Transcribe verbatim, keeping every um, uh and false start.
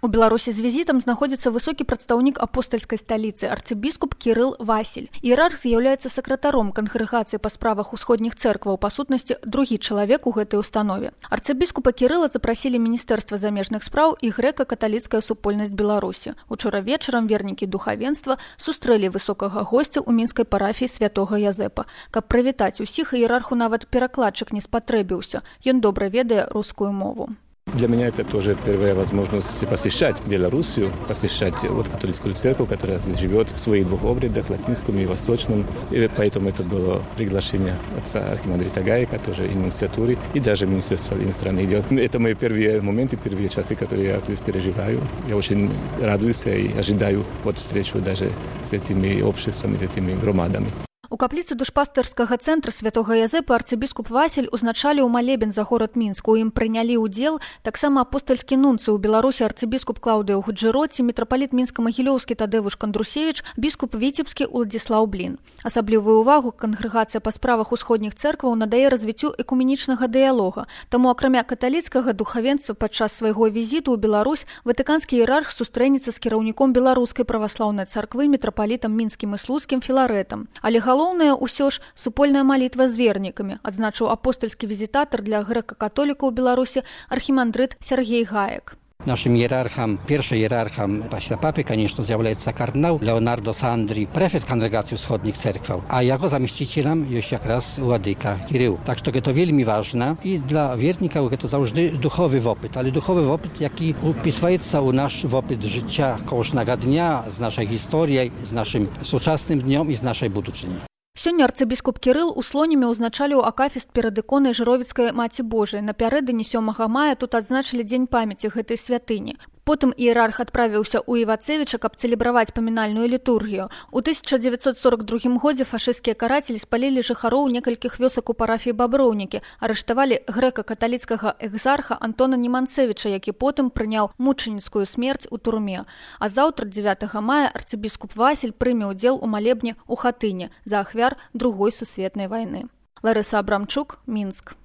У Беларусі з візітам знаходзіцца высокі прадстаўнік апостальскай сталіцы арцыбіскуп Кірыл Васіль. Іерарх з'яўляецца сакратаром кангрэгацыі па справах усходніх цэркваў, па сутнасці другі чалавек у гэтай установе. Арцыбіскупа Кірыла запрасілі Міністэрства замежных спраў і грэка-каталіцкая супольнасць Беларусі. Учора вечарам вернікі духавенства сустрэлі высокага госця ў мінскай парафіі святога Язэпа. Каб прывітаць усіх, іерарху нават перакладчык не спатрэбіўся. Ён добра ведае рускую мову. Для меня это тоже первая возможность посещать Белоруссию, посещать вот католическую церковь, которая здесь живет в своих двух обрядах, латинском и восточном. И поэтому это было приглашение отца архимандрита Гаика, тоже и нунциатуры, и даже Министерства иностранных дел. Это мои первые моменты, первые часы, которые я здесь переживаю. Я очень радуюсь и ожидаю вот встречу даже с этими обществами, с этими громадами. У капліцы душпастырскага цэнтра святога Язэпа арцыбіскуп Васіль узначаліў малебен за горад Мінск. У ім прынялі ўдзел таксама апостальскі нунцый у Беларусі арцыбіскуп Клаўдыя Гуджыроці, мітрапаліт мінска-магілёўскі Тадзеўш Кандрусевіч, біскуп Віцебскі Уладзіслаў Блін. Асаблівую ўвагу кангрэгацыя па справах усходніх цэркваў надае развіццю экуменічнага дыялога. Таму акрамя каталіцкага духавенства падчас свайго візіту ў Беларусь ватыканскі іерарх сустрэнецца з кіраўніком беларускай праваслаўнай царквы мітрапалітам мінскім і слуцкім Філарэтам. Але галоўнае ўсё ж супольная малітва з вернікамі, адзначыў апостальскі візітатар для грэка-католікаў у Беларусі архімандрыт Сергей Гаек. Naszym hierarcham, pierwszym hierarcham paśla papy, конечно, zjawляется kardynał Leonardo Sandri, prefekt Kongregacji Wschodnich Cerkwał, a jego zamieścicielem jest jak raz Ładyka Kirył. Tak, że to wielmi ważne i dla wiernika to zawsze duchowy wopyt, ale duchowy wopyt, jaki upisuje u nasz wopyt życia kołosnego dnia, z naszej historii, z naszym współczesnym dniem i z naszej будучыні. Сёння арцыбіскуп Кірыл у Слонімі ўзначаліў акафіст перад іконай Жыровіцкай Маці Божай. Напярэдадні сёмага мая тут адзначылі дзень памяці гэтай святыні. Потым іерарх адправіўся ў Івацевіча, каб цэлебраваць памінальную літургію. У тысяча дзевяцьсот сорок другім годзе фашысцкія карацелі спалілі жыхароў некалькіх вёсак у парафіі Баброўнікі, арыштавалі грэка-каталіцкага экзарха Антона Неманцевіча, які потым прыняў мучаніцкую смерць у турме. А заўтра, дзевятага мая, арцыбіскуп Васіль прыме ўдзел у малебне ў Хатыне за ахвяр Другой сусветнай вайны. Ларыса Абрамчук, Мінск.